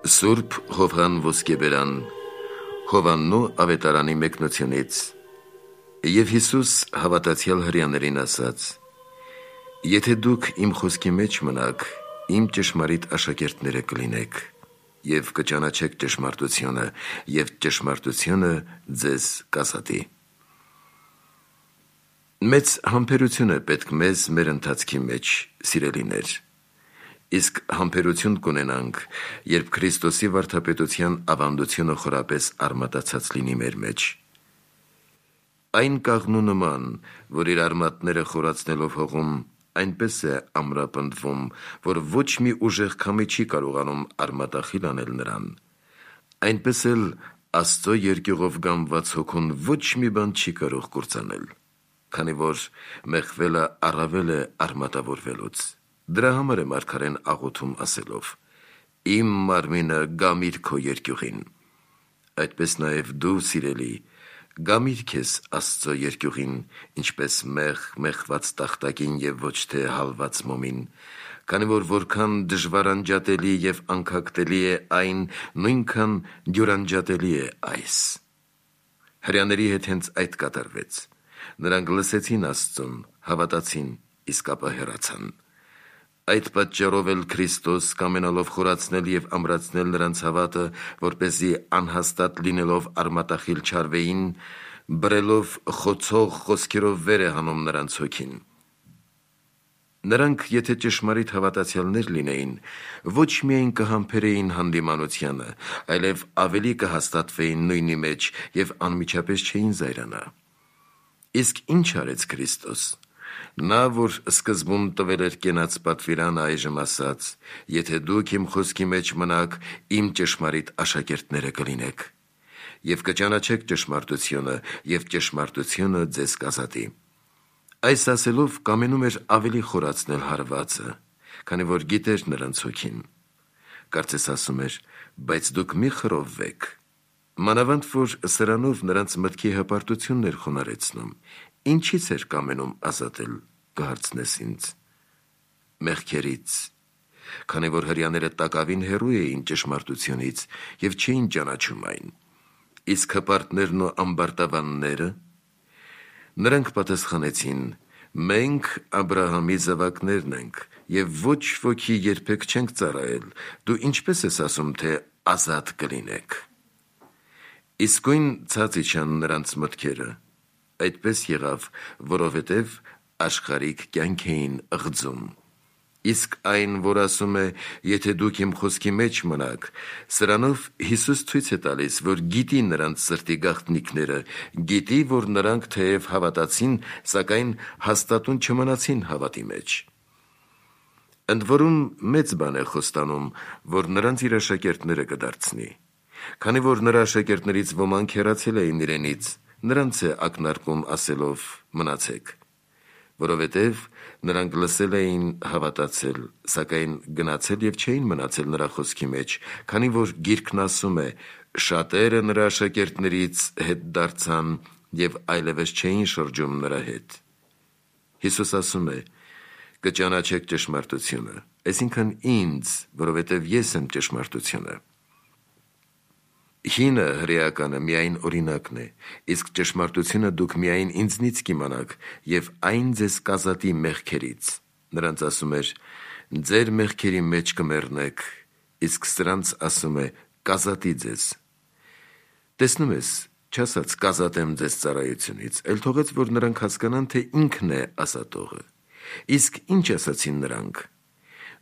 Սուրբ Հովհան Ոսկեբերան Հովաննու ավետարանի մեկնությունից Եվ Հիսուս հավատացյալ հրեաներին ասաց. Եթե դուք իմ խոսքի մեջ մնաք, իմ ճշմարիտ աշակերտները կլինեք, և կճանաչեք ճշմարտությունը, և ճշմարտությունը ձեզ կազատի։ Մեծ համբերություն է պետք մեզ մեր ընթացքի մեջ, սիրելիներ։ Իսկ համբերություն կունենանք, երբ Քրիստոսի վարդապետության ավանդությունը խորապես արմատացած լինի մեր մեջ։ Այն կաղնու նման, որ իր արմատները խորացնելով հողում, այնպես է ամրապնդվում, որ ոչ մի ուժեղ քամի չի կարողանում արմատախիլ անել նրան, այնպես էլ Աստծո երկյուղով գամված հոգուն ոչ մի բան չի կարող կործանել, քանի որ մեղվելը առավել է արմատավորվելուց։ Դրա համար է մարգարեն աղոթում ասելով. Իմ մարմինը գամիր քո երկյուղին։ Այդպես նաև դու, սիրելի, գամիր քեզ Աստծո երկյուղին, ինչպես մեղված տախտակին և ոչ թե հալված մոմին, քանի որ որքան դժվարանջատելի և անքակտելի է այն, նույնքան դյուրանջատելի է այս։ Հրեաների հետ հենց այդ կատարվեց։ Նրանք լսեցին Աստծուն, հավատացին, իսկ ապա հեռացան։ Այդ պատճառով էլ Քրիստոս կամենալով խորացնել և ամրացնել նրանց հավատը, որպեսզի անհաստատ լինելով արմատախիլ չարվեին, բռելով խոցող խոսքերով վեր է հանում նրանց հոգին։ Նրանք, եթե ճշմարիտ հավատացյալներ լինեին, ոչ միայն կհամբերեին հանդիմանությանը, այլև ավելի կհաստատվեին նույնի մեջ և անմիջապես չէին զայրանա։ Իսկ ինչ արեց Քրիստոս։ Նա, որ սկզբում տվել էր կենաց պատվիրանը, այժմ ասաց. Եթե դուք իմ խոսքի մեջ մնաք, իմ ճշմարիտ աշակերտները կլինեք, և կճանաչեք ճշմարտությունը, և ճշմարտությունը ձեզ կազատի։ Այս ասելով կամենում էր ավելի խորացնել հարվածը, քանի որ գիտեր նրանց հոգին։ Կարծես ասում էր, բայց դուք մի խռովվեք։ Մանավանդ որ սրանով նրանց մտքի հպարտությունն էր խոնարհեցնում։ Ինչից էր կամենում ազատել, կհարցնես ինձ։ Մեղքերից, քանի որ հրեաները տակավին հեռու էին ճշմարտությունից և չէին ճանաչում այն։ Իսկ հպարտներն ու ամբարտավանները։ Նրանք պատասխանեցին. մենք Աբրահամի զավակներն ենք, և ոչ ոքի երբեք չենք ծառայել, դու ինչպես ես ասում, թե ազատ կլինեք։ Իսկույն ցած իջան նրանց մտքերը։ Այդպես եղավ, որովհետև աշխարհիկ կյանք էին ղձում։ Իսկ այն, որ ասում է, եթե դուք իմ խոսքի մեջ մնաք, սրանով Հիսուս ցույց է տալիս, որ գիտի նրանց սրտի գաղտնիքները, գիտի, որ նրանք թեև հավատացին, սակայն հաստատուն չմնացին հավատի մեջ։ Ընդ որում մեծ բան է խոստանում, որ նրանց իր աշակերտները կդարձնի։ Քանի որ նրա աշակերտներից ոմանք հեռացել էին իրենից, նրանց է ակնարկում ասելով. մնացեք, որովհետև նրանք լսել էին, հավատացել, սակայն գնացել և չէին մնացել նրա խոսքի մեջ, քանի որ Գիրքն ասում է. շատերը նրա աշակերտներից հետ դարձան և այլևս չէին շրջում նրա հետ։ Հիսուս ասում է. կճանաչեք ճշմարտությունը, այսինքն ինձ, որովհետև ես եմ ճշմարտությունը։ Հինը հրեականը միայն օրինակն է, իսկ ճշմարտությունը դուք միայն ինձնից կիմանաք, և այն ձեզ կազատի մեղքերից։ Նրանց ասում էր. ձեր մեղքերի մեջ կմեռնեք, իսկ սրանց ասում է. կազատի ձեզ։ Տեսնում ես, չասաց կազատեմ ձեզ ծառայությունից, այլ թողեց, որ նրանք հասկանան, թե ինքն է ազատողը։ Իսկ ինչ ասացին նրանք.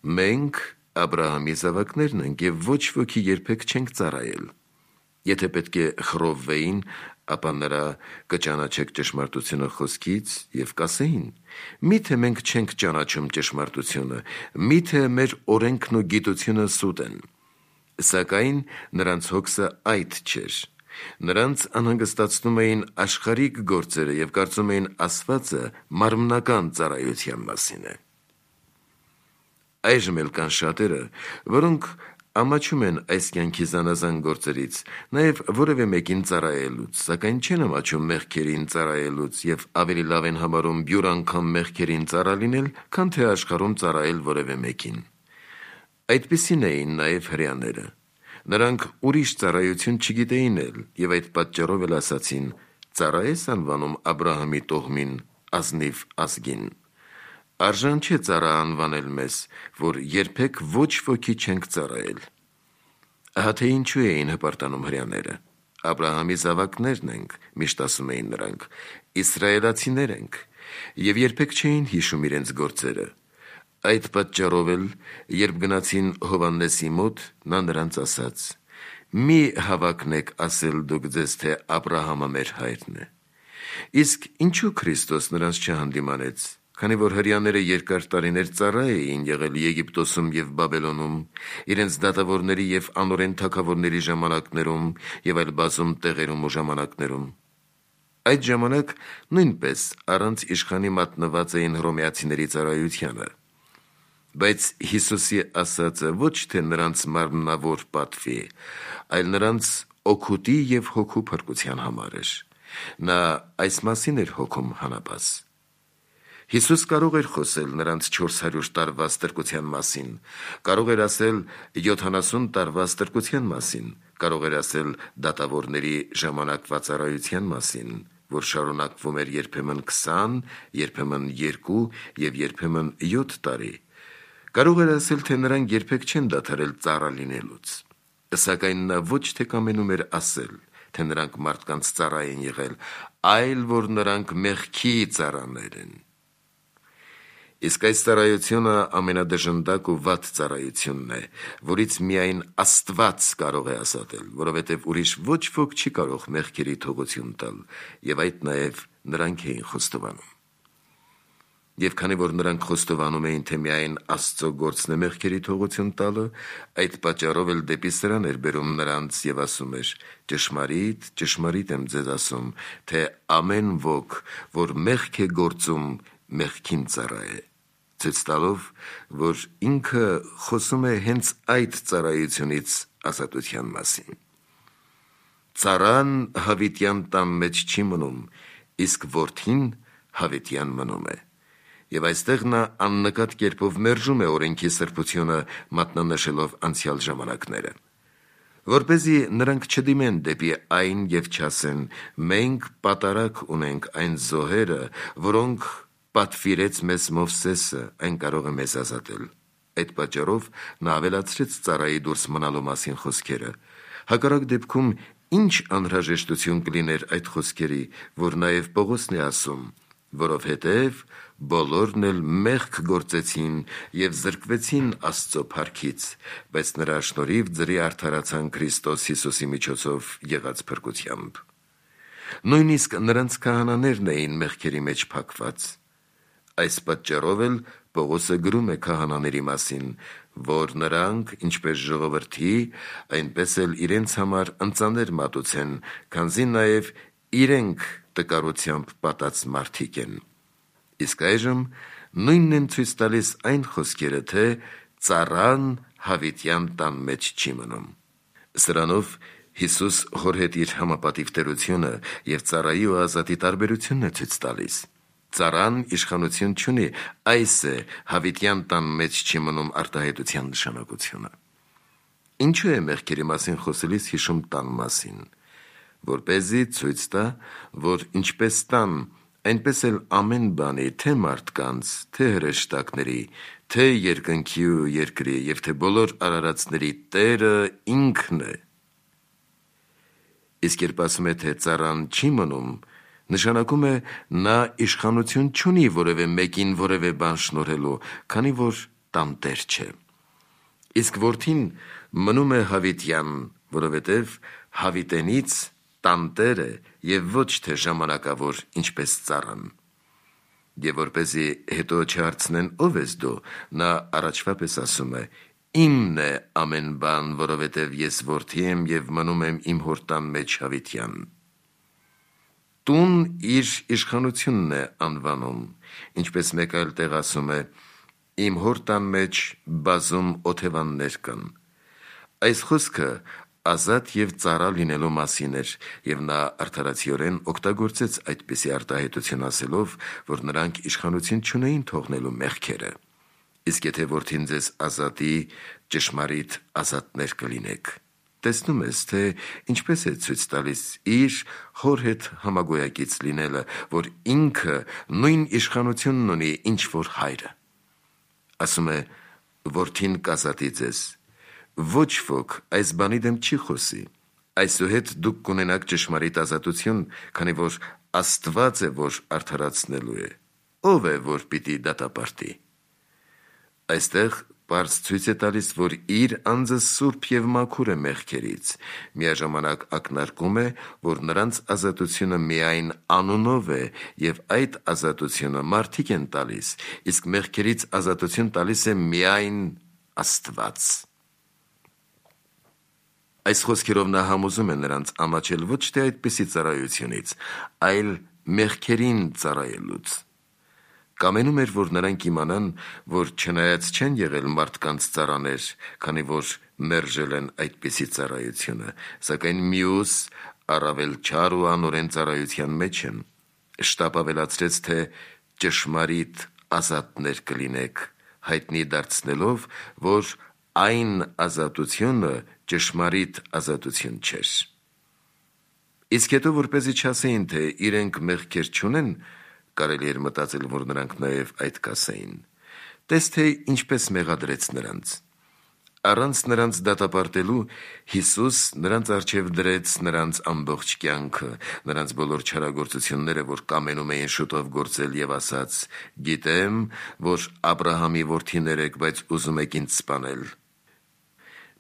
մենք Աբրահամի զավակներն ենք և ոչ ոքի երբեք չենք ծառայել։ Եթե պետք է խռովվեին, ապա նրա կճանաչեք ճշմարտությունը խոսքից և կասեին. միթե մենք չենք ճանաչում ճշմարտությունը, միթե մեր օրենքն ու գիտությունը սուտ են։ Սակայն նրանց հոգսը այդ չէր։ Նրանց անհանգստացնում էին աշխարհիկ գործերը և կարծում էին ասվածը մարմնական ծառայության մասին է։ Այժմ էլ կան շատերը, որոնք ամաչում են այս կյանքի զանազան գործերից, նաև որևէ մեկին ծառայելուց, սակայն չեն ամաչում մեղքերին ծառայելուց և ավելի լավ են համարում յուր անգամ մեղքերին ծառա լինել, քան թե աշխարհում ծառայել որևէ մեկին։ Այդպիսին էին նաև հրեաները։ Նրանք ուրիշ ծառայություն չգիտեին էլ, եւ այդ պատճառով էլ ասացին. «Ծառա ես անվանում Աբրահամի տոհմին, ազնիվ ազգին»։ Արժան չէ ծառա անվանել մեզ, որ երբեք ոչ ոքի չենք ծառայել։ Ահա թե ինչու էին հպարտանում հրեաները։ Աբրահամի զավակներն ենք, միշտ ասում էին նրանք, իսրայելացիներ ենք, եւ երբեք չէին հիշում իրենց գործերը։ Այդ պատճառով էլ, երբ գնացին Հովհաննեսի մոտ, նա նրանց ասաց. «Մի հավակնեք ասել դուք ձեզ, թե Աբրահամը մեր հայրն է»։ Իսկ ինչու Քրիստոս նրանց չհանդիմանեց, քանի որ հրեաները երկար տարիներ ծառա էին եղել Եգիպտոսում եւ Բաբելոնում, իրենց դատավորների եւ անօրեն թագավորների ժամանակներում եւ այլ բազում տեղերում ու ժամանակներում։ Այդ ժամանակ նույնպես առանց իշխանի մատնված էին հռոմեացիների ծառայությանը։ Բայց Հիսուսի ասածը ոչ թե նրանց մարմնավոր պատվի, այլ նրանց օգուտի եւ հոգու փրկության համար էր։ Նա այս մասին էր հոգում հանապաս։ Հիսուս կարող էր խոսել նրանց 400 տարվա ստրկության մասին, կարող էր ասել 70 տարվա ստրկության մասին, կարող էր ասել դատավորների ժամանակվա ծառայության մասին, որ շարունակվում էր երբեմն 20, երբեմն 2 եւ երբեմն 7 տարի։ Կարող էր ասել, թե նրանք երբեք չեն դադարել ծառա լինելուց։ Սակայն նա ոչ թե կամենում էր ասել, թե նրանք մարդկանց ծառա են եղել, այլ որ նրանք մեղքի ծառաներ են։ Իսկ այս ծառայությունը ամենադժնդակ ու վատ ծառայությունն է, որից միայն Աստված կարող է ազատել, որովհետև ուրիշ ոչ ոք չի կարող մեղքերի թողություն տալ, եւ այդ նաեւ նրանք էին խոստովանում։ Եվ քանի որ նրանք խոստովանում էին, թե միայն Աստծո գործն է մեղքերի թողություն տալը, այդ պատճառով էլ դեպի սրան էր բերում նրանց եւ ասում էր. «Ճշմարիտ, ճշմարիտ եմ ձեզ ասում, թե ամեն ոք, որ մեղք է գործում, մեղքին ծառա է», ցույց տալով, որ ինքը խոսում է հենց այդ ծառայությունից ազատության մասին։ Ծառան հավիտյան տան մեջ չի մնում, իսկ որդին հավիտյան մնում է։ Եվ այստեղ նա աննկատ կերպով մերժում է օրենքի սրբությունը, մատնանշելով անցյալ ժամանակները, որպեսզի նրանք չդիմեն դեպի այն եւ չասեն. «Մենք պատարակ ունենք այն զոհերը, որոնք պատվիրեց մեզ Մովսեսը, այն կարող է մեզ ազատել»։ Այդ պատճառով նա ավելացրեց ծառայի դուրս մնալու մասին խոսքերը։ Հակառակ դեպքում ինչ անհրաժեշտություն կլիներ այդ խոսքերի, որ նաեւ Պողոսն է ասում, որովհետև բոլորն էլ մեղք գործեցին եւ զրկվեցին Աստծո փառքից, բայց նրա շնորհիվ ձրի արդարացան Քրիստոս Հիսուսի միջոցով եղած փրկությամբ։ Նույնիսկ նրանց քահանաներն էին մեղքերի մեջ փակված։ Այս պատճառով էլ Պողոսը գրում է քահանաների մասին, որ նրանք, ինչպես ժողովրդի, այնպես էլ իրենց համար ընծաներ մատուցեն, քանզի նաեւ իրենք տկարությամբ պատած մարդիկ են։ Իսկ այժմ նույնն են ցույց տալիս այն խոսքերը, թե ծառան հավիտյան տան մեջ չի մնում։ Սրանով Հիսուս հոր հետ իր համապատիվ տերությունը եւ ծառայի ու ազատի տարբերությունն է ցույց տալիս։ Ծառան իշխանություն չունի, այս է հավիտյան տան մեջ չի մնում արտահայտության նշանակությունը։ Ինչու է մեղքերի մասին խոսելիս հիշում տան մասին, որպեսզի ցույց տա, որ ինչպես տան, այնպես էլ ամեն բանի, թե մարդկանց, թե հրեշտակների, թե երկնքի ու երկրի եւ թե բոլոր արարածների Տերը ինքն է։ Իսկ երբ ասում է, թե ծառան չի մնում, նշանակում է նա իշխանություն չունի որևէ մեկին որևէ բան շնորհելու, քանի որ տանտեր չէ։ Իսկ որդին մնում է հավիտյան, որովհետև հավիտենից տանտեր է եւ ոչ թե ժամանակավոր, ինչպես ծառան։ Եվ որպեսզի հետո չհարցնեն ով ես դու, նա առաջվա պես ասում է. «Իմն է ամեն բան, որովհետև ես որդի եմ եւ մնում եմ իմ հոր տան մեջ հավիտյան»։ Տուն իր իշխանությունն է անվանում, ինչպես մեկ այլ տեղ ասում է. «Իմ հոր տան մեջ բազում օթևաններ կան»։ Այս խոսքը ազատ եւ ծառա լինելու մասին էր, եւ նա արդարացիորեն օգտագործեց այդպիսի արտահայտություն ասելով, որ նրանք իշխանություն չունեին թողնելու մեղքերը։ Իսկ եթե որդին ձեզ ազատի, ճշմարիտ ազատներ կլինեք։ տեսնում ես, թե ինչպես է ցույց տալիս իր հոր հետ համագոյակից լինելը, որ ինքը նույն իշխանությունն ունի, ինչ որ հայրը։ Ասում է, որդին կազատի ձեզ, ոչ ոք այս բանի դեմ չի խոսի, այսուհետ դուք կունենաք ճշմարիտ ազատություն, քանի որ Աստված է, որ արդարացնելու է, ով է, որ պիտի դատապարտի։ Այստեղ պարզ ցույց է տալիս, որ իր անձը սուրբ և մաքուր է մեղքերից, միաժամանակ ակնարկում է, որ նրանց ազատությունը միայն անունով է և այդ ազատությունը մարդիկ են տալիս, իսկ մեղքերից ազատություն տալիս է միայն Աստված։ Այս խոսքերով նա համոզում է նրանց ամաչել ոչ թե այդպիսի ծառայությունից, այլ մեղքերին ծառայելուց։ Կամենում էր, որ նրանք իմանան, որ չնայած չեն եղել մարդկանց ծառաներ, քանի որ մերժել են այդպիսի ծառայությունը, սակայն մյուս առավել չար ու անօրեն ծառայության մեջ են, շտապ ավելացրեց, թե ճշմարիտ ազատներ կլինեք, հայտնի դարձնելով, որ այն ազատությունը ճշմարիտ ազատություն չէր։ Իսկ հետո, որպեսզի չասեին, թե իրենք մեղքեր չունեն, կարելի էր մտածել, որ նրանք նաև այդ կասեին։ Տես թե ինչպես մեղադրեց նրանց։ Առանց նրանց դատապարտելու Հիսուս նրանց առջև դրեց նրանց ամբողջ կյանքը, նրանց բոլոր չարագործությունները, որ կամենում էին շուտով գործել, և ասաց. «Գիտեմ, որ Աբրահամի որդիներ եք, բայց ուզում եք ինձ սպանել»։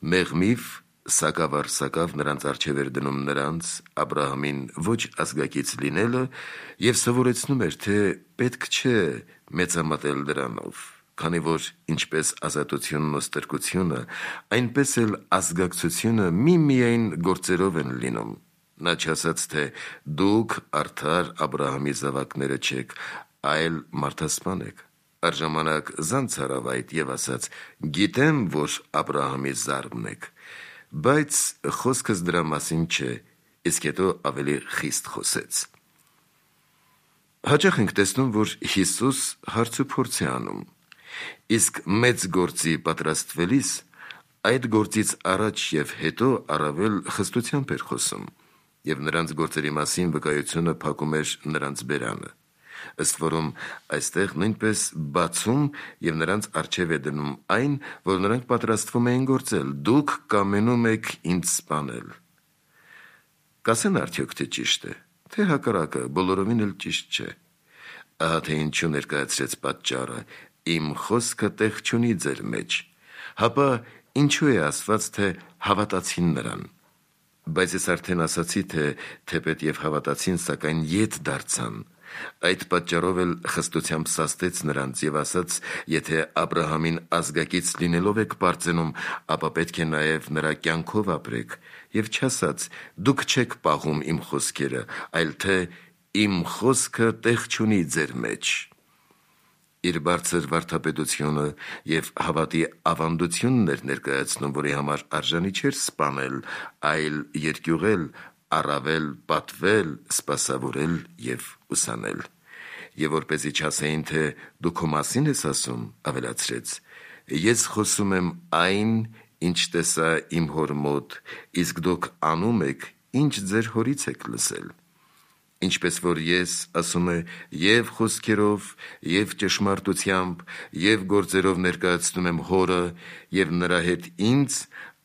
Մեղմիվ սակավ նրանց առջև էր դնում նրանց, Աբրահամին, ոչ ազգակից լինելը և սովորեցնում էր, թե պետք չէ մեծամտել դրանով, քանի որ ինչպես ազատությունն ու ստրկությունը, այնպես էլ ազգակցությունը միմիայն գործերով են լինում։ Նա չասաց, թե դուք արդար Աբրահամի զավակները չեք, այլ մարդասպան եք։ Առժամանակ զանց արավ այդ և ասաց. «Գիտեմ, որ Աբրահամի զառմն եք», բայց խոսքս դրա մասին չէ, իսկ հետո ավելի խիստ խոսեց։ Հաճախ ենք տեսնում, որ Հիսուս հարց ու փորձ է անում, իսկ մեծ գործի պատրաստվելիս այդ գործից առաջ և հետո առավել խստությամբ էր խոսում, և նրանց գործերի մասին վկայությունը փակում էր նրանց բերանը։ Ըստ որում այստեղ նույնպես բացում և նրանց առջև է դնում այն, որ նրանք պատրաստվում էին գործել. «Դուք կամենում եք ինձ սպանել»։ Կասեն արդյոք, թե ճիշտ է, թե հակառակը բոլորովին էլ ճիշտ չէ։ Ահա թե ինչու ներկայացրեց պատճառը. «Իմ խոսքը տեղ չունի ձեր մեջ»։ Հապա ինչու է ասված, թե հավատացին նրան։ Բայց ես արդեն ասացի, թե թեպետ և հավատացին, սակայն ետ դարձան։ Այդ պատճառով էլ խստությամբ սաստեց նրանց և ասաց. «Եթե Աբրահամին ազգակից լինելով եք պարծենում, ապա պետք է նաև նրա կյանքով ապրեք», և չասաց. «Դուք չեք պահում իմ խոսքերը», այլ թե «Իմ խոսքը տեղ չունի ձեր մեջ»։ Իր բարձր վարդապետությունը և հավատի ավանդությունն էր ներկայացնում, որի համար արժանի չէր սպանել, այլ երկյուղել, առավել պատվել, սպասավորել և ուսանել։ Եվ որպեսզի չասեին, թե դու քո մասին ես ասում, ավելացրեց. «Ես խոսում եմ այն, ինչ տեսա իմ հոր մոտ, իսկ դուք անում եք, ինչ ձեր հորից եք լսել։ Ինչպես որ ես, ասում է, և խոսքերով, և ճշմարտությամբ, և գործերով ներկայացնում եմ հորը, և նրա հետ ինձ,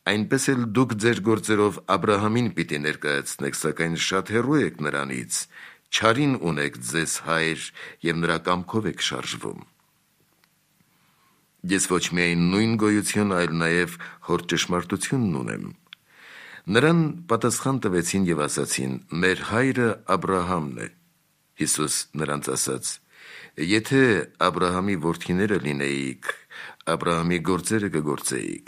այնպես էլ դուք ձեր գործերով Աբրահամին պիտի ներկայացնեք, սակայն շատ հեռու եք նրանից, չարին ունեք ձեզ հայր և նրա կամքով եք շարժվում»։ Ես ոչ միայն նույն գոյություն, այլ նաև հոր ճշմարտությունն ունեմ։ Նրան պատասխան տվեցին և ասացին. «Մեր հայրը Աբրահամն է»։ Հիսուս նրանց ասաց. «Եթե Աբրահամի որդիները լինեիք, Աբրահամի գործերը կգործեիք»։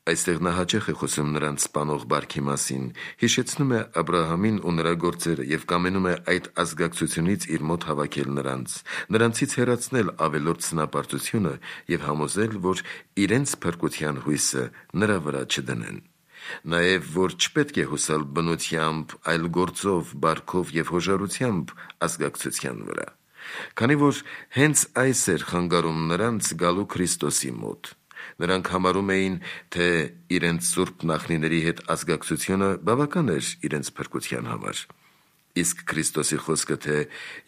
Այստեղ նա հաճախ է խոսում նրանց սպանող բարքի մասին, հիշեցնում է Աբրահամին ու նրա գործերը և կամենում է այդ ազգակցությունից իր մոտ հավաքել նրանցից հեռացնել ավելորդ սնապարտությունը և համոզել, որ իրենց փրկության հույսը նրա վրա չդնեն։ Նաև, որ չպետք է հուսալ բնությամբ, այլ գործով, բարքով և հոժարությամբ ազգակցության վրա, քանի որ հենց այս էր խանգարում նրանց գալու Քրիստոսի մոտ։ Նրանք համարում էին, թե իրենց սուրբ նախնիների հետ ազգակցությունը բավական էր իրենց փրկության համար։ Իսկ Քրիստոսի խոսքը, թե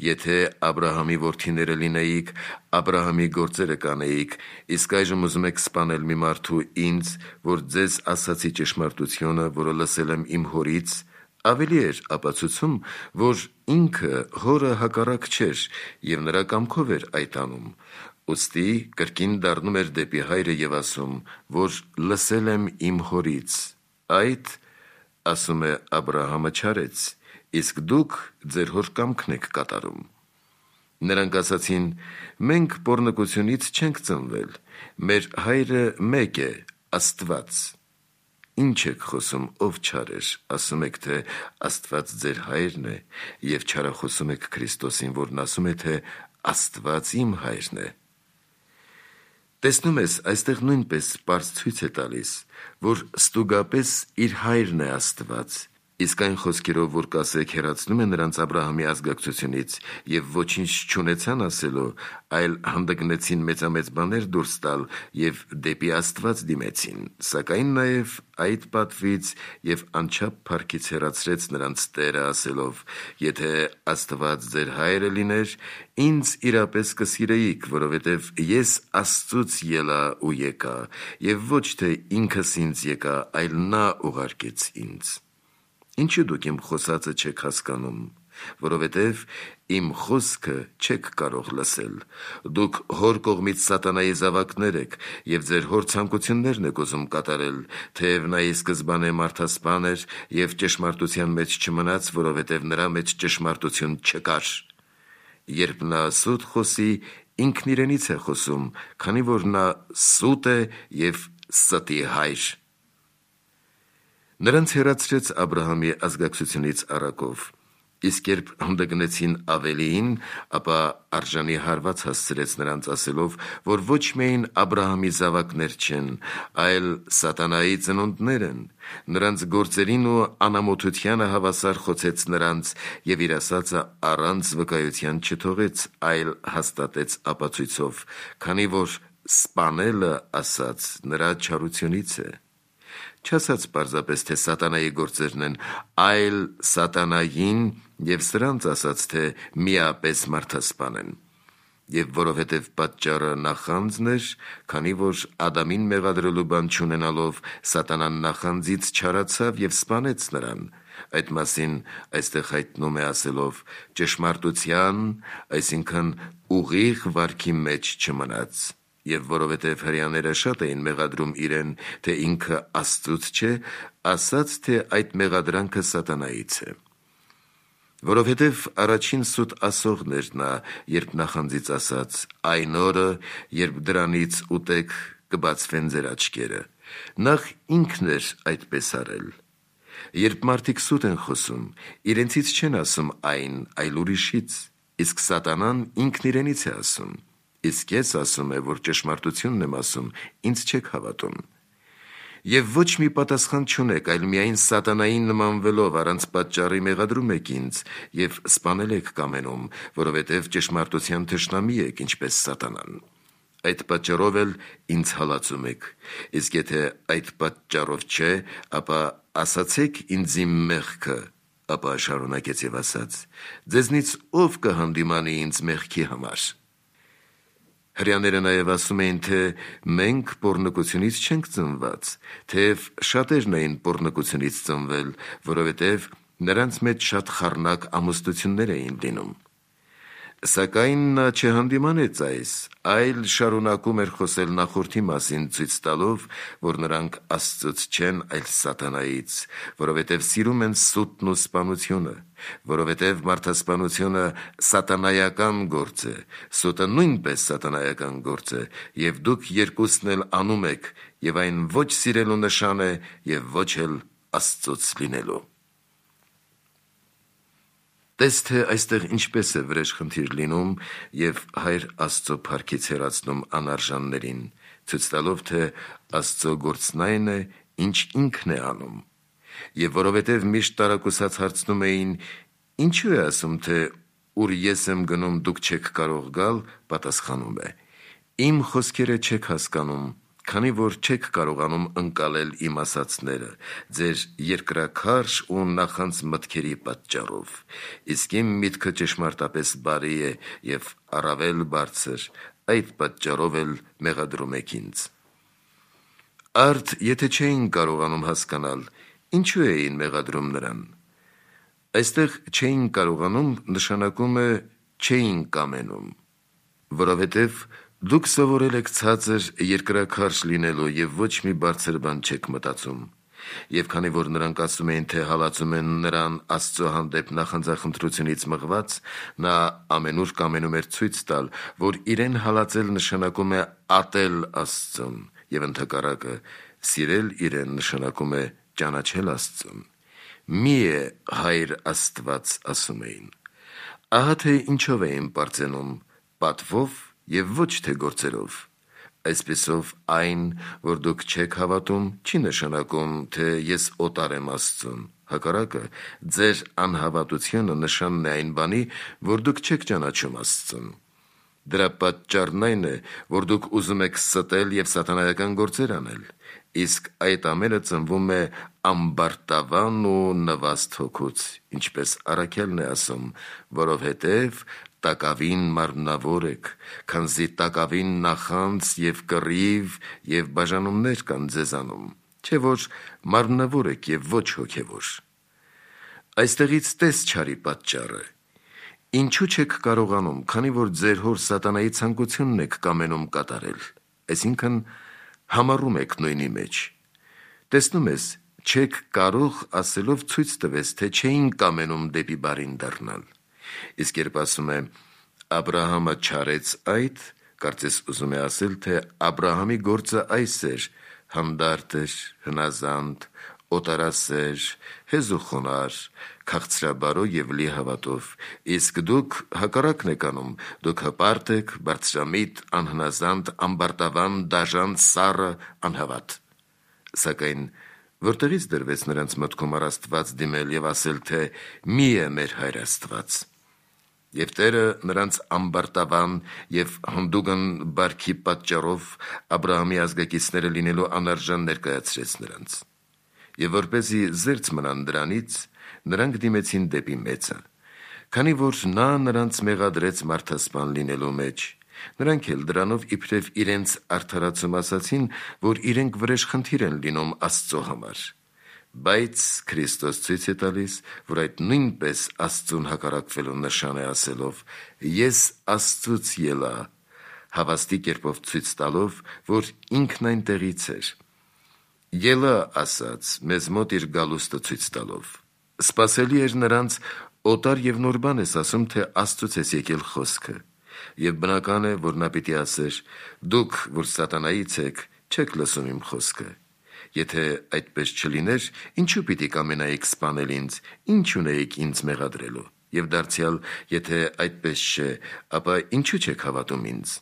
եթե Աբրահամի որդիները լինեիք, Աբրահամի գործերը կանեիք, իսկ այժմ ուզում եք սպանել մի մարդու ինձ, որ ձեզ ասացի ճշմարտությունը, որը լսել եմ իմ հորից, ավելի էր ապացուցում, որ ինքը հորը հակառակ չէր և նրա կամքով էր այդ անում, ուստի կրկին դառնում էր դեպի հայրը և ասում, որ լսել եմ իմ հորից, այդ, ասում է, Աբրահամը չարեց, իսկ դուք ձեր հոր կամքն եք կատարում։ Նրանք ասացին. մենք պոռնկությունից չենք ծնվել, մեր հայրը մեկ է, Աստված։ Ինչ եք խոսում, ով չար էր, ասում եք, թե Աստված ձեր հայրն է, և չարախոսում եք Քրիստոսին, որն ասում է, թե Աստված իմ հայրն է։ Տեսնում ես, այստեղ նույնպես պարզ ցույց է տալիս, որ ստուգապես իր հայրն է Աստված, իսկ այն խոսքերով, որ կասեք, հեռացնում է նրանց Աբրահամի ազգակցությունից և ոչինչ չունեցան ասելու, այլ հանդգնեցին մեծամեծ բաներ դուրս տալ և դեպի Աստված դիմեցին, սակայն նաև այդ պատվից և անչափ փառքից հեռացրեց նրանց Տերը ասելով. եթե Աստված ձեր հայրը լիներ, ինձ իրապես կսիրեիք, որովհետև ես Աստծուց ելա ու եկա, և ոչ թե ինքս ինձ եկա, այլ նա ուղարկեց ինձ։ Ինչու դուք իմ խոսածը չեք հասկանում, որովհետև իմ խոսքը չեք կարող լսել։ Դուք հոր կողմից սատանայի զավակներ եք և ձեր հոր ցանկություններն եք ուզում կատարել, թեև նա ի սկզբանե մարդասպան էր և ճշմարտության մեջ չմնաց, որովհետև նրա մեջ ճշմարտություն չկար։ Երբ նա սուտ խոսի, ինքն իրենից է խոսում, քանի որ նա սուտ է և ստի հայր։ Նրանց հեռացրեց Աբրահամի ազգակցությունից առակով, իսկ երբ հանդգնեցին Ավելիին, ապա արժանի հարված հասցրեց նրանց ասելով, որ ոչ միայն Աբրահամի զավակներ չեն, այլ սատանայի ծնունդներ են, նրանց գործերին ու անամոթությանը հավասար խոցեց նրանց և իր ասածը առանց վկայության չթողեց, այլ հաստատեց ապացույցով, քանի որ սպանելը ասաց նրա չարությունից է։ Չասաց պարզապես, թե սատանայի գործերն են, այլ սատանային և սրանց ասաց, թե միապես մարդասպան են։ Եվ որովհետև պատճառը նախանձն էր, քանի որ Ադամին մեղադրելու բան չունենալով, սատանան նախանձից չարացավ և սպանեց նրան։ Այդ մասին այստեղ հայտնում է ասելով. ճշմարտության, այսինքն ուղիղ վարքի մեջ չմնաց։ Եվ որովհետև հրեաները շատ էին մեղադրում իրեն, թե ինքը Աստծուց չէ, ասաց, թե այդ մեղադրանքը սատանայից է։ Որովհետև առաջին սուտ ասողն էր նա, երբ նախանձից ասաց. այն օրը, երբ դրանից ուտեք, կբացվեն ձեր աչքերը։ Նախ ինքն էր այդպես արել։ Երբ մարդիկ սուտ են խոսում, իրենցից չեն ասում այն, այլ ուրիշից, իսկ սատանան ինքն իրենից է ասում։ Իսկ ես ասում եմ, որ ճշմարտությունն եմ ասում, ինձ չեք հավատում։ Եվ ոչ մի պատասխան չունեք, այլ միայն սատանային նմանվելով առանց պատճառի մեղադրում եք ինձ և սպանել եք կամենում, որովհետև ճշմարտության թշնամի եք, ինչպես սատանան։ Այդ պատճառով էլ ինձ հալածում եք, իսկ եթե այդ պատճառով չէ, ապա ասացեք ինձ իմ մեղքը, ապա շարունակեց և ասաց. ձեզնից ով կհանդիմանի ինձ մեղքի համար։ Հրեաները նաև ասում էին, թե մենք պոռնկությունից չենք ծնված, թեև շատերն էին պոռնկությունից ծնվել, որովհետև նրանց մեջ շատ խառնակ ամուսնություններ էին լինում։ Սակայն նա չհանդիմանեց այս, այլ շարունակում էր խոսել նախորդի մասին, ցույց տալով, որ նրանք Աստծուց չեն, այլ սատանայից, որովհետև սիրում են սուտն ու սպանությունը, որովհետև մարդասպանությունը սատանայական գործ է, սուտը նույնպես սատանայական գործ է, և դուք երկուսն էլ անում եք, և այն ոչ սիրելու նշան է և ոչ էլ Աստծուց լինելու։ Տես, թե այստեղ ինչպես է վրեժխնդիր լինում և Հայր Աստծո փառքից հեռացնում անարժաններին, ցույց տալով, թե Աստծո գործն այն է, ինչ ինքն է անում։ Եվ որովհետև միշտ տարակուսած հարցնում էին. ինչու է ասում, թե ուր ես եմ գնում, դուք չեք կարող գալ, պատասխանում է. իմ խոսքերը չեք հասկանում, քանի որ չեք կարողանում ընկալել իմ ասացները, ձեր երկրաքարշ ու նախանց մտքերի պատճառով, իսկ իմ միտքը ճշմարտապես բարի է և առավել բարձր, այդ պատճառով էլ մեղադրում եք ինձ։ Արդ եթե չէին կարողանում հասկանալ, ինչու էին մեղադրում նրան։ Այստեղ չէին կարողանում նշանակում է չէին կամենում, որովհետև դուք սովորել եք ցածր երկրաքարշ լինելու և ոչ մի բարձր բան չեք մտածում, և քանի որ նրանք ասում էին, թե հալածում են նրան Աստծո հանդեպ նախանձախնդրությունից մղված, նա ամենուր կամենում էր ցույց տալ, որ իրեն հալածել նշանակում է ատել Աստծուն, և ընդհակառակը սիրել իրեն նշանակում է ճանաչել Աստծուն։ Մի է Հայր Աստված, ասում էին։ Ահա թե ինչով էին պարծենում, պատվով և ոչ թե գործերով։ Այսպիսով այն, որ դուք չեք հավատում, չի նշանակում, թե ես օտար եմ Աստծուն, հակառակը ձեր անհավատությունը նշանն է այն բանի, որ դուք չեք ճանաչում Աստծուն։ Դրա պատճառն այն է, որ դուք ուզում եք ստել և սատանայական գործեր անել, իսկ այդ ամենը ծնվում է ամբարտավան ու նվաստ հոգուց, ինչպես առաքյալն է ասում, որովհետև տակավին մարմնավոր եք, քանզի տակավին նախանձ և կռիվ և բաժանումներ կան ձեզանում, չէ որ մարմնավոր եք և ոչ հոգևոր։ Այստեղից տես չարի պատճառը։ Ինչու չեք կարողանում, քանի որ ձեր հոր սատանայի ցանկությունն եք կամենում կատարել, այսինքն համառում եք նույնի մեջ։ Տեսնում ես, չեք կարող ասելով ցույց տվես, թե չէին կամենում դեպի բարին դառնալ։ Իսկ երբ ասում է Աբրահամը չարեց այդ, կարծես ուզում է ասել, թե Աբրահամի գործը այս էր. հանդարտ էր, հնազանդ, օտարասեր, հեզուխոնար, քաղցրաբարո և լի հավատով, իսկ դուք հակառակն եք անում, դուք հպարտ եք, բարձրամիտ, անհնազանդ, ամբարտավան, դաժան, սառը, անհավատ։ Սակայն որտեղից դրվեց նրանց մտքում առ Աստված դիմել և ասել, թե մի է մեր Հայր Աստված։ Եվ Տերը նրանց ամբարտավան և հանդուգն բարքի պատճառով Աբրահամի ազգակիցները լինելու անարժան ներկայացրեց նրանց։ Եվ որպեսզի զերծ մնան դրանից, նրանք դիմեցին դեպի մեծը, քանի որ նա նրանց մեղադրեց մարդասպան լինելու մեջ, նրանք էլ դրանով իբրև իրենց արդարացում ասացին, որ իրենք վրեժխնդիր են լինում Աստծո համար։ Բայց Քրիստոս ցույց է տալիս, որ այդ նույնպես Աստծուն հակառակվելու նշան է ասելով. «Ես Աստծուց ելա», հավաստի կերպով ցույց տալով, որ ինքն այնտեղից էր։ Ելա ասաց, մեզ մոտ իր գալուստը ցույց տալով։ Սպասելի էր նրանց օտար և նոր բան ես ասում, թե Աստծուց ես եկել խոսքը։ Եվ բնական է, որ նա պիտի ասեր. «Դուք, որ սատանայից եք, չեք լսում իմ խոսքը»։ Եթե այդպես չլիներ, ինչու պիտի կամենայիք սպանել ինձ, ինչ ունեիք ինձ մեղադրելու։ Եվ դարձյալ, եթե այդպես չէ, ապա ինչու չեք հավատում ինձ։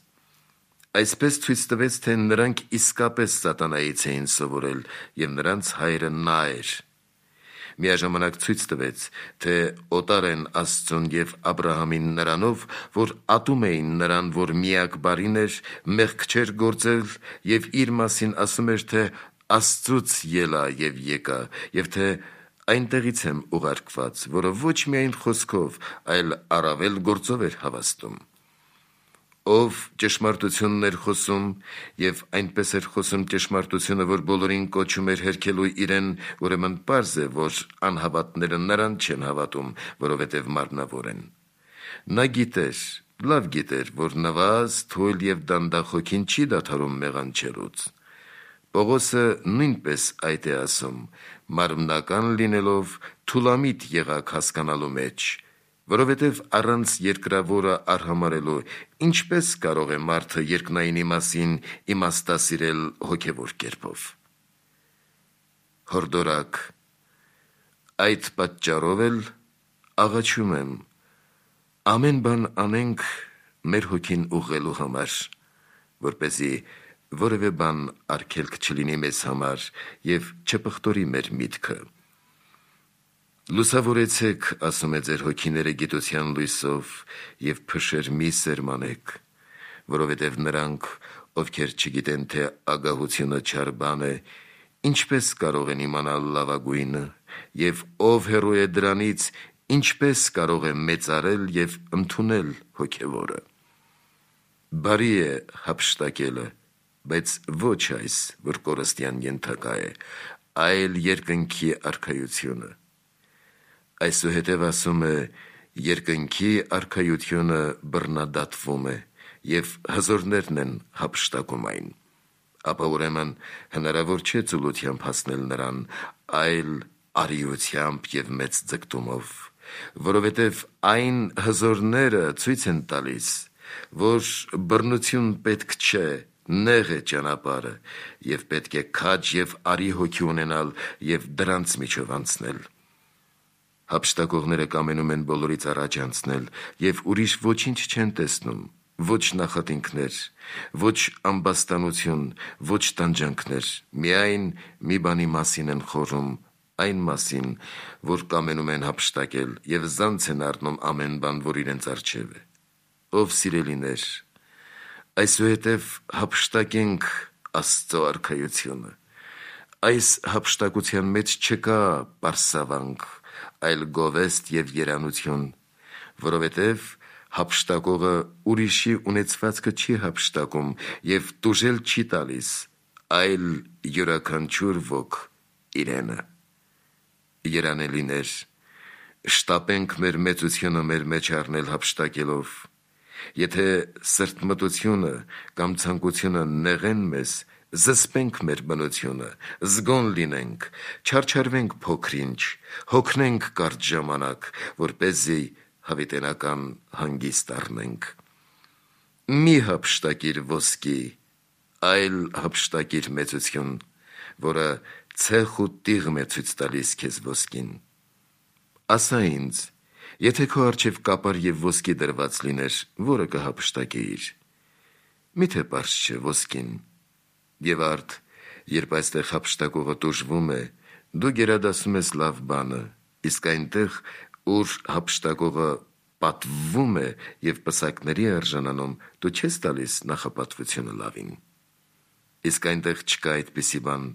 Այսպես ցույց տվեց, թե նրանք իսկապես սատանայից էին սովորել, և նրանց հայրը նա էր։ Միաժամանակ ցույց տվեց, թե օտար են Աստծուն և Աբրահամին նրանով, որ ատում էին նրան, որ միակ բարին էր, մեղք չէր գործել և իր մասին ասում էր, թե Աստծուց ելա և եկա, և թե այնտեղից եմ ուղարկված, որը ոչ միայն խոսքով, այլ առավել գործով էր հավաստում։ Ով ճշմարտությունն էր խոսում, և այնպես էր խոսում ճշմարտությունը, որ բոլորին կոչում էր հերքելու իրեն, ուրեմն պարզ է, որ անհավատները նրան չեն հավատում, որովհետև մարմնավոր են։ Նա գիտեր, լավ գիտեր, որ նվազ, թույլ և դանդաղ հոգին չի դադարում մեղանչելուց։ Պողոսը նույնպես այդ է ասում, մարմնական լինելով թուլամիտ եղաք հասկանալու մեջ, որովհետև առանց երկրավորը արհամարելու ինչպես կարող է մարդը երկնայինի մասին իմաստասիրել հոգևոր կերպով։ Հորդորակ. այդ պատճառով էլ աղաչում եմ, ամեն բան անենք մեր հոգին ուղղելու համար, որպեսզի որևէ բան արգելք չլինի մեզ համար և չպղտորի մեր միտքը։ Լուսավորեցեք, ասում է, ձեր հոգիները գիտության լույսով և փշեր մի սերմանեք, որովհետև նրանք ովքեր չգիտեն, թե ագահությունը չար բան է, ինչպես կարող են իմանալ լավագույնը, և ով հեռու է դրանից, ինչպես կարող է մեծարել և ընդունել հոգևորը։ Բարի է հափշտակելը, բայց ոչ այս, որ կորստյան ենթակա է, այլ երկնքի արքայությունը։ Այսուհետև ասում է. երկնքի արքայությունը բռնադատվում է, և հզորներն են հափշտակում այն։ Ապա ուրեմն հնարավոր չէ ծուլությամբ հասնել նրան, այլ արիությամբ և մեծ ձգտումով, որովհետև այն հզորները ցույց են տալիս, որ բռնություն պետք չէ, նեղ է ճանապարհը, և պետք է քաջ և արի հոգի ունենալ և դրանց միջով անցնել։ Հափշտակողները կամենում են բոլորից առաջ անցնել և ուրիշ ոչինչ չեն տեսնում, ոչ նախատինքներ, ոչ ամբաստանություն, ոչ տանջանքներ, միայն մի բանի մասին են խորհում, այն մասին, որ կամենում են հափշտակել և զանց են առնում ամեն բան, որ իրենց առջև է։ Ով սիրելիներ, այսուհետև հափշտակենք Աստծո արքայությունը։ Այս հափշտակության մեջ չկա պարսավանք, այլ գովեստ և երանություն, որովհետև հափշտակողը ուրիշի ունեցվածքը չի հափշտակում և տուժել չի տալիս, այլ յուրաքանչյուր ոք իրենը։ Երանելիներ, շտապենք մեր մեծությունը մեր մեջ առնել հափշտակելով։ Եթե սրտմտությունը կամ ցանկությունը նեղեն մեզ, զսպենք մեր բնությունը, զգոն լինենք, չարչարվենք փոքր-ինչ, հոգնենք կարճ ժամանակ, որպեսզի հավիտենական հանգիստ առնենք։ Մի հափշտակիր ոսկի, այլ հափշտակիր մեծություն, որը ցեխ ու տիղմ է ցույց տալիս քեզ ոսկին։ Ասա ինձ, եթե քո առջև կապար և ոսկի դրված լիներ, որը կհափշտակեիր։ Միթե պարզ չէ ոսկին։ Եվ արդ, երբ այստեղ հափշտակողը տուժվում է, դու գերադասում ես լավ բանը, իսկ այնտեղ, ուր հափշտակողը պատվվում է և պսակների արժանանում, դու չես տալիս նախապատվությունը լավին։ Իսկ այնտեղ չկա այդպիսի բան,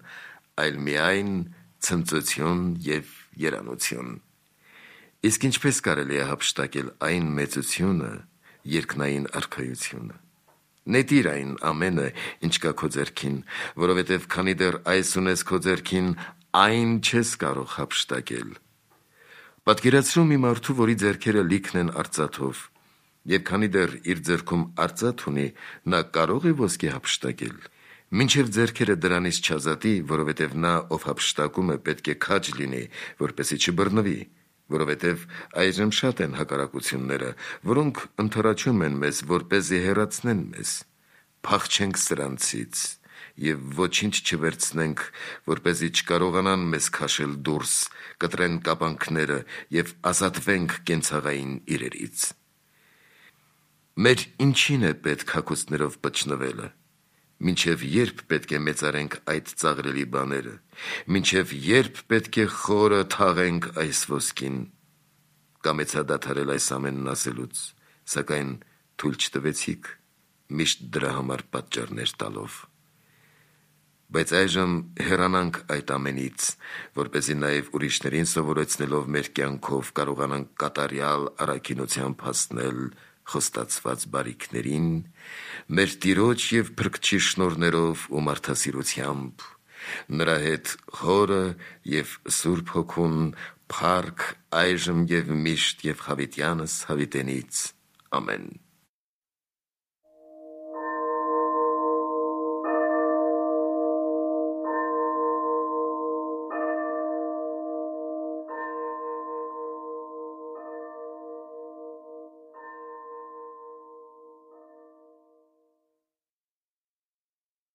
այլ միայն ցնծություն և երանություն։ Իսկ ինչպես կարելի է հափշտակել այն մեծությունը, երկնային արքայությունը։ Նետիր այն ամենը, ինչ կա քո ձեռքին, որովհետև քանի դեռ այս ունես քո ձեռքին, այն չես կարող հափշտակել։ Պատկերացրու մի մարդու, որի ձեռքերը լիքն են արծաթով, և քանի դեռ իր ձեռքում արծաթ ունի, նա կարո՞ղ է ոսկի հափշտակել։ Մինչև ձեռքերը դրանից չազատի, որովհետև նա, ով հափշտակում է, պետք է քաջ լինի, որպեսզի չբռնվի, որովհետև այժմ շատ են հակառակությունները, որոնք ընդառաջում են մեզ, որպեսզի հեռացնեն մեզ։ Փախչենք սրանցից և ոչինչ չվերցնենք, որպեսզի չկարողանան մեզ քաշել դուրս, կտրեն կապանքները և ազատվենք կենցաղային իրերից։ Մեր ինչին է պետք հագուստներով պչնվելը։ Մինչև երբ պետք է մեծարենք այդ ծաղրելի բաները, մինչև երբ պետք է խորը թաղենք այս ոսկին։ Կամեցա դադարել այս ամենն ասելուց, սակայն թույլ չտվեցիք, միշտ դրա համար պատճառներ տալով։ Բայց այժմ հեռանանք այդ ամենից, որպեսզի նաև ուրիշներին սովորեցնելով մեր կյանքով կարողանանք կատարյալ առաքինությամբ հասնել խոստացված բարիքներին, մեր Տիրոջ և Փրկչի շնորհներով ու մարդասիրությամբ, նրա հետ Հորը և Սուրբ Հոգուն, փառք այժմ և միշտ և հավիտյանս հավիտենից։ Ամեն։